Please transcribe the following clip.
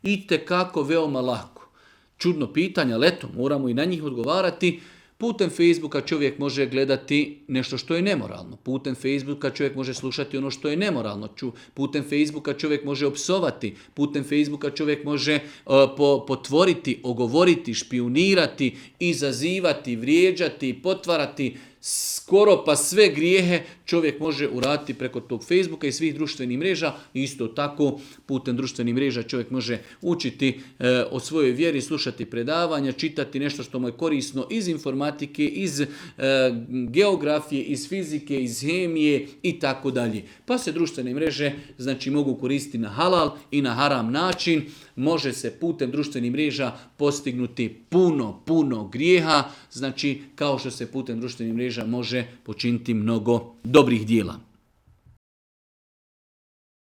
itekako veoma lako. Čudno pitanje, ali eto, moramo i na njih odgovarati. Putem Facebooka čovjek može gledati nešto što je nemoralno. Putem Facebooka čovjek može slušati ono što je nemoralno. Putem Facebooka čovjek može opsovati. Putem Facebooka čovjek može potvoriti, ogovoriti, špijunirati, izazivati, vrijeđati, potvarati. Skoro pa sve grijehe čovjek može uraditi preko tog Facebooka i svih društvenih mreža. Isto tako putem društvenih mreža čovjek može učiti o svojoj vjeri, slušati predavanja, čitati nešto što mu je korisno iz informatike, iz geografije, iz fizike, iz hemije i tako dalje. Pa se društvene mreže znači mogu koristiti na halal i na haram način. Može se putem društvenih mreža postignuti puno grijeha, znači kao što se putem društvenih mreža može počiniti mnogo dobrih dijela.